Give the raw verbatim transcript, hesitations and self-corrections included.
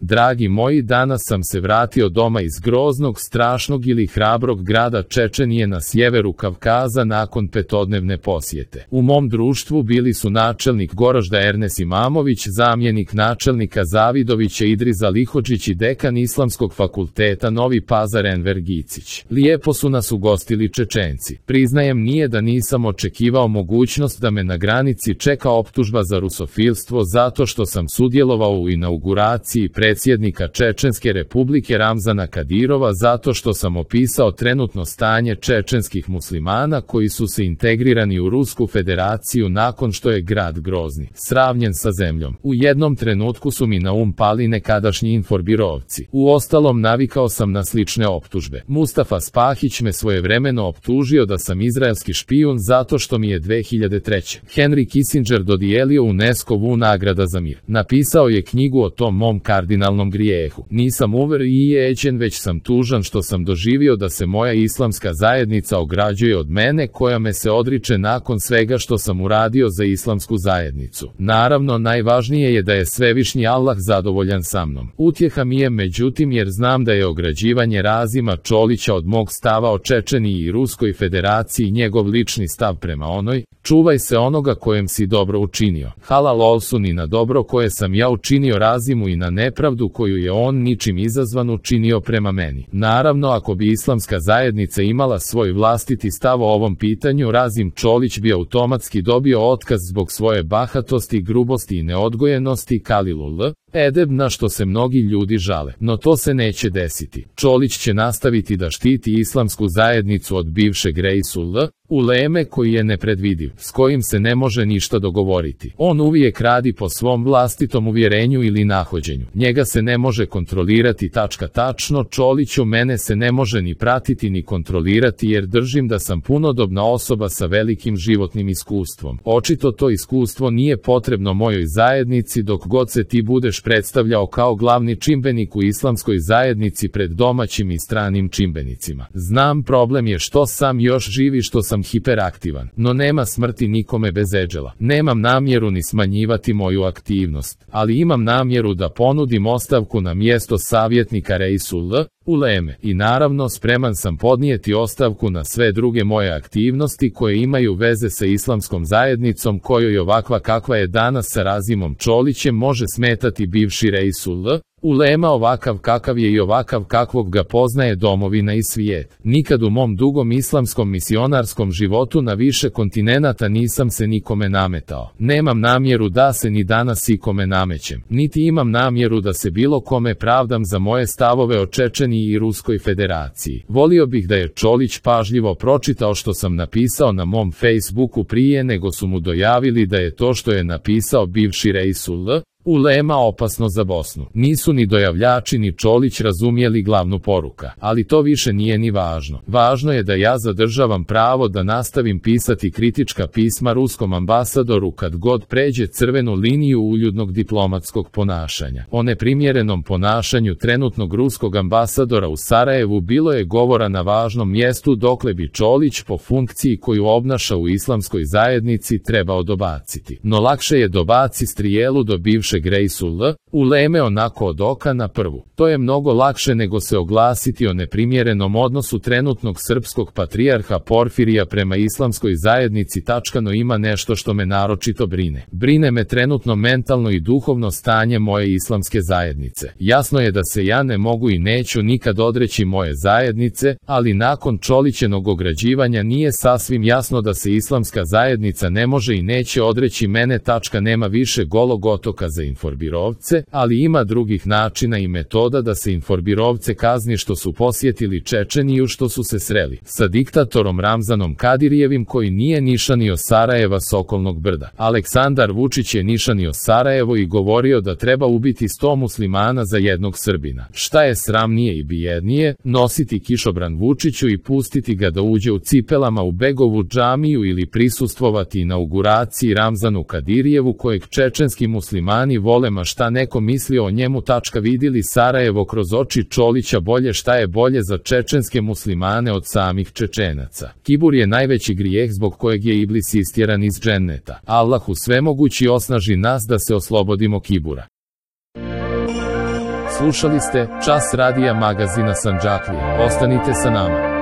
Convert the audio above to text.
Dragi moji, danas sam se vratio doma iz groznog, strašnog ili hrabrog grada Čečenije na sjeveru Kavkaza nakon petodnevne posjete. U mom društvu bili su načelnik Goražda Ernes Imamović, zamjenik načelnika Zavidovića Idriza Lihodžić i dekan Islamskog fakulteta Novi Pazar Enver Gicić. Lijepo su nas ugostili Čečenci. Priznajem, nije da nisam očekivao mogućnost da me na granici čeka optužba za rusofilstvo zato što sam sudjelovao u inauguraciji predsjednika Čečenske republike Ramzana Kadirova, zato što sam opisao trenutno stanje čečenskih muslimana koji su se integrirani u Rusku federaciju nakon što je grad Grozni sravnjen sa zemljom. U jednom trenutku su mi na um pali nekadašnji inforbirovci. Uostalom, navikao sam na slične optužbe. Mustafa Spahić me svojevremeno optužio da sam izraelski špijun zato što mi je dve hiljade treće. Henry Kissinger dodijelio UNESCO-vu nagrada za mir. Napisao je knjigu o tom mom kardinalnom grijehu. Nisam uvrijeđen, već sam tužan što sam doživio da se moja islamska zajednica ograđuje od mene, koja me se odriče nakon svega što sam uradio za islamsku zajednicu. Naravno, najvažnije je da je svevišnji Allah zadovoljan sa mnom. Utjeha mi je međutim jer znam da je ograđivanje Razima Čolića od mog stava o Čečeniji i Ruskoj federaciji njegov lični stav prema onoj: čuvaj se onoga kojem si dobro učinio. Halal olsun i na dobro koje sam ja učinio Razimu i na nepravdu koju je on ničim izazvan učinio prema meni. Naravno, ako bi islamska zajednica imala svoj vlastiti stav o ovom pitanju, Razim Čolić bi automatski dobio otkaz zbog svoje bahatosti, grubosti i neodgojenosti, kalilul edeb, na što se mnogi ljudi žale. No to se neće desiti. Čolić će nastaviti da štiti islamsku zajednicu od bivšeg Reisul uleme koji je nepredvidiv, s kojim se ne može ništa dogovoriti. On uvijek radi po svom vlastitom uvjerenju ili nahođenju. Njega se ne može kontrolirati. Tačka tačno. Čoliću, mene se ne može ni pratiti ni kontrolirati jer držim da sam punodobna osoba sa velikim životnim iskustvom. Očito to iskustvo nije potrebno mojoj zajednici dok god se ti budeš predstavljao kao glavni čimbenik u islamskoj zajednici pred domaćim i stranim čimbenicima. Znam, problem je što sam još živi, što sam hiperaktivan, no nema smrti nikome bez eđela. Nemam namjeru ni smanjivati moju aktivnost, ali imam namjeru da ponudim ostavku na mjesto savjetnika Reisul uleme i naravno spreman sam podnijeti ostavku na sve druge moje aktivnosti koje imaju veze sa islamskom zajednicom, kojoj ovakva kakva je danas sa Razimom Čolićem može smetati bivši Reisul ulema ovakav kakav je i ovakav kakvog ga poznaje domovina i svijet. Nikad u mom dugom islamskom misionarskom životu na više kontinenata nisam se nikome nametao. Nemam namjeru da se ni danas ikome namećem, niti imam namjeru da se bilo kome pravdam za moje stavove o Čečeniji i Ruskoj federaciji. Volio bih da je Čolić pažljivo pročitao što sam napisao na mom Facebooku prije nego su mu dojavili da je to što je napisao bivši Reisul ulema opasno za Bosnu. Nisu ni dojavljači ni Čolić razumjeli glavnu poruka, ali to više nije ni važno. Važno je da ja zadržavam pravo da nastavim pisati kritička pisma ruskom ambasadoru kad god pređe crvenu liniju uljudnog diplomatskog ponašanja. O neprimjerenom ponašanju trenutnog ruskog ambasadora u Sarajevu bilo je govora na važnom mjestu dokle bi Čolić po funkciji koju obnaša u islamskoj zajednici trebao dobaciti. No lakše je dobaci strijelu do bivše Reisul uleme onako od oka na prvu. To je mnogo lakše nego se oglasiti o neprimjerenom odnosu trenutnog srpskog patrijarha Porfirija prema islamskoj zajednici. Tačkano ima nešto što me naročito brine. Brine me trenutno mentalno i duhovno stanje moje islamske zajednice. Jasno je da se ja ne mogu i neću nikad odreći moje zajednice, ali nakon Čolićenog ograđivanja nije sasvim jasno da se islamska zajednica ne može i neće odreći mene. Tačka nema više golog otoka za inforbirovce, ali ima drugih načina i metoda da se inforbirovce kazni što su posjetili Čečeniju, što su se sreli sa diktatorom Ramzanom Kadirijevim koji nije nišanio Sarajeva s okolnog brda. Aleksandar Vučić je nišanio Sarajevo i govorio da treba ubiti sto muslimana za jednog Srbina. Šta je sramnije i bijednije, nositi kišobran Vučiću i pustiti ga da uđe u cipelama u Begovu džamiju ili prisustvovati inauguraciji Ramzanu Kadirijevu kojeg čečenski muslimani vole, ma šta neko mislio o njemu. Tačka vidjeli Sarajevo kroz oči Čolića bolje. Šta je bolje za čečenske muslimane od samih Čečenaca? Kibur je najveći grijeh zbog kojeg je Iblis istjeran iz dženneta. Allahu svemogući osnaži nas da se oslobodimo kibura. Slušali ste Čas radija magazina Sandžaklije. Ostanite sa nama.